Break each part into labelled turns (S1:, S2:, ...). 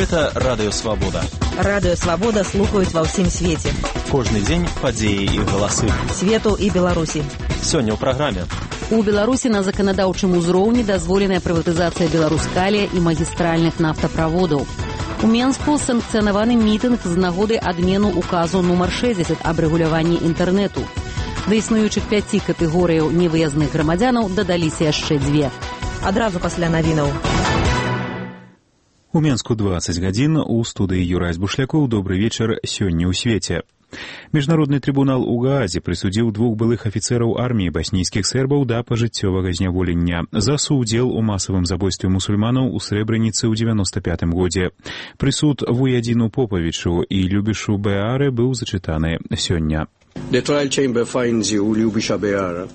S1: Гэта Радыё Свабода.
S2: Радыё Свабода слухаюць ва ўсім свеце.
S1: Кожны дзень падзеі і галасы.
S2: Свету і Беларусі.
S1: Сёння ў праграме.
S3: У Беларусі на заканадаўчым узроўні дазволеная прыватызацыя Беларускалія і магістральных нафтаправодаў. У Менску санкцыянаваны мітынг з нагоды адмену указу нумар 60 аб рэгуляванні інтэрнэту. Да існуючых 5 катэгорыяў невыязных грамадзянаў дадаліся яшчэ 2.
S2: Адразу пасля навінаў.
S4: У Менску 20 гадзін, у студыі Юрась Бушлякоў. Добры вечар, сёння ў свеце. Міжнародны трыбунал у Гаазе прысудзіў 2 былых афіцэраў арміі баснійскіх сербаў да пажыццёвага зняволення за суўдзел у масавым забойстве мусульманаў у Срэбраніцы ў 95 годзе. Прысуд Вуядзіну Поповічу і Любішу Беаре быў зачытаны сёння.
S5: The trial chamber finds you, Lyubisha Beara.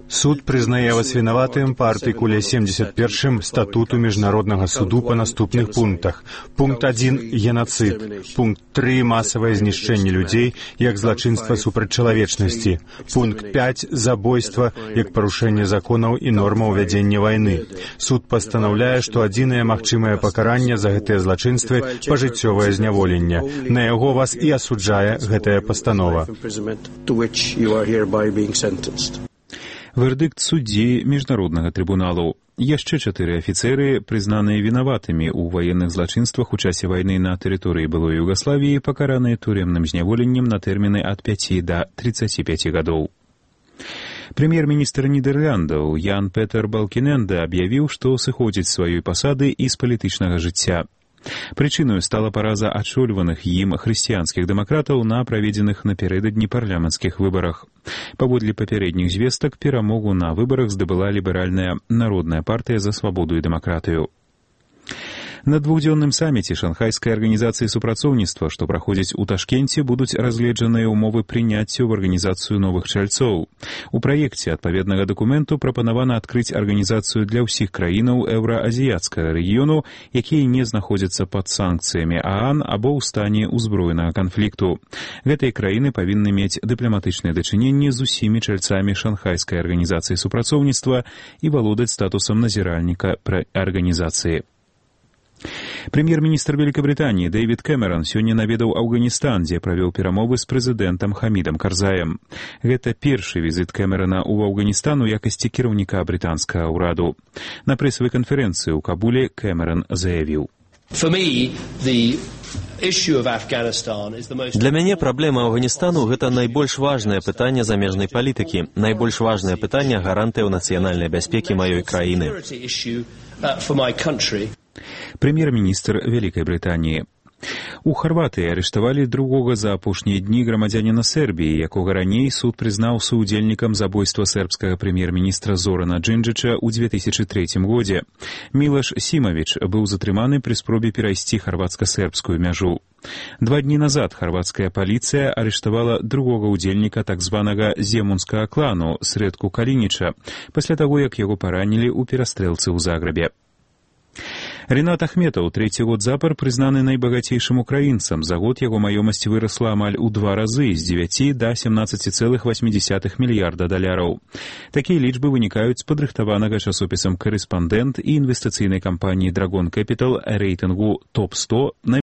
S6: Суд прызнае вас вінаватым па артыкуле 71 статуту Міжнароднага суду па наступных пунктах. Пункт 1 – геноцид. Пункт 3 – масавае знішчэнне людзей як злачынства супраць чалавечнасці. Пункт 5 – забойства як парушэнне законаў і нормаў вядзення вайны. Суд пастанаўляе, што адзінае магчымае пакаранне за гэтыя злачынствы – пажыццёвае зняволенне. На яго вас і асуджае гэтая пастанова.
S4: Вердыкт суддзі Міжнароднага трыбуналу. Яшчэ 4 афіцэры, прызнаныя вінаватымі ў ваенных злачынствах у часе вайны на тэрыторыі былой Югаславіі, пакараныя турэмным зняволеннем на тэрміны ад 5 да 35 гадоў. Прэм'ер-міністр Нідерландаў Ян Петер Балкіненде аб'явіў, што сыходзіць з сваёй пасады і з палітычнага жыцця. Прычыною стала параза адчольваных ім хрысціянскіх дэмакратаў на праведзеных напярэдадні парламенцкіх выбарах. Паводле папярэдніх звестак, перамогу на выбарах здабыла ліберальная народная партыя за свабоду і дэмакратыю. На двухдзённым саміце Шанхайскай арганізацыі супрацоўніцтва, што праходзіць у Ташкенце, будуць разгледжаныя ўмовы прыняцця ў арганізацыю новых чальцоў. У праекце адпаведнага дакументу прапанавана адкрыць арганізацыю для ўсіх краінаў еўраазіяцкага рэгіёну, якія не знаходзяцца пад санкцыямі ААН або ў стане ўзброенага канфлікту. Гэтыя краіны павінны мець дыпламатычныя дачыненні з усімі чальцамі Шанхайскай арганізацыі супрацоўніцтва і валодаць статусам назіральніка пры арганізацыі. Прэм'ер-міністр Вялікабрытаніі Дэвід Кэмеран сёння наведаў Афганістан, дзе правёў перамовы з прэзідэнтам Хамідам Карзаем. Гэта першы візіт Кэмерана ў Афганістан у якасці кіраўніка брытанскага ўраду. На прэсавай канферэнцыі ў Кабуле Кэмеран заявіў:
S1: Для мяне праблема Афганістану – гэта найбольш важнае пытанне замежнай палітыкі, найбольш важнае пытанне гарантыяў нацыянальнай бяспекі маёй краіны.
S4: Прэм'ер-міністр Вялікай Брытаніі. У Харватыі арыштавалі другога за апошнія дні грамадзяніна Сербіі, якога раней суд прызнаў суўдзельнікам забойства сербскага прэм'ер-міністра Зорана Джинджыча ў 2003 годзе. Мілаш Сімавіч быў затрыманы пры спробе перайсці харватска-сербскую мяжу. 2 дні назад харватская паліцыя арыштавала другога ўдзельніка так званага земунскага клану Сретку Калініча, пасля таго, як яго паранілі ў перастрэлцы ў Загрэбе. Рінат Ахметаў 3-й год запар прызнаны найбагацейшым украінцам. За год яго маёмасць вырасла амаль у 2 разы, з 9 да 17,8 мільярда даляраў. Такія лічбы вынікаюць з падрыхтаванага часопісам «Карэспандэнт» і інвестыцыйнай кампаніі «Драгон Кэпітал» рэйтынгу топ-100